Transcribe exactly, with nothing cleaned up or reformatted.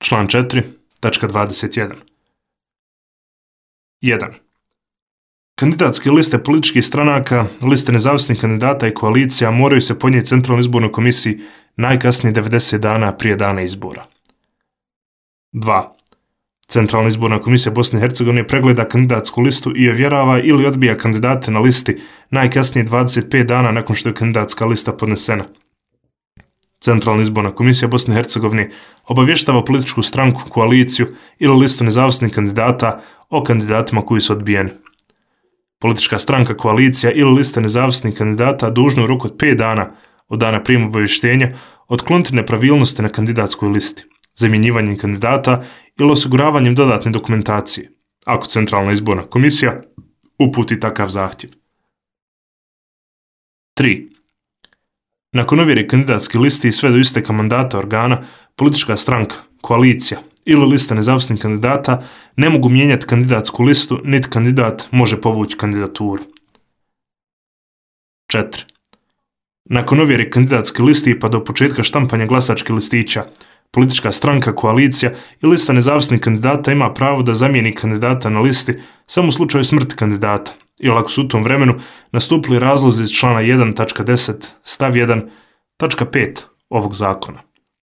Član četiri, tačka dvadeset jedan. jedan. Kandidatske liste političkih stranaka, liste nezavisnih kandidata i koalicija moraju se podnijeti Centralnoj izbornoj komisiji najkasnije devedeset dana prije dana izbora. dva. Centralna izborna komisija Bosne i Hercegovine pregleda kandidatsku listu i ovjerava ili odbija kandidate na listi najkasnije dvadeset pet dana nakon što je kandidatska lista podnesena. Centralna izborna komisija Bosne i Hercegovine obavještava političku stranku, koaliciju ili listu nezavisnih kandidata o kandidatima koji su odbijeni. Politička stranka, koalicija ili lista nezavisnih kandidata dužna u roku od pet dana od dana prijema obavještenja otkloniti nepravilnosti na kandidatskoj listi, zamjenjivanjem kandidata ili osiguravanjem dodatne dokumentacije, ako Centralna izborna komisija uputi takav zahtjev. tri. Nakon ovjere kandidatske listi i sve do isteka mandata organa, politička stranka, koalicija ili lista nezavisnih kandidata ne mogu mijenjati kandidatsku listu, niti kandidat može povući kandidaturu. četiri. Nakon ovjere kandidatske listi pa do početka štampanja glasačkih listića, politička stranka, koalicija i lista nezavisnih kandidata ima pravo da zamijeni kandidata na listi samo u slučaju smrti kandidata ili ako su u tom vremenu nastupili razlozi iz člana jedan tačka deset stav jedan tačka pet ovog zakona.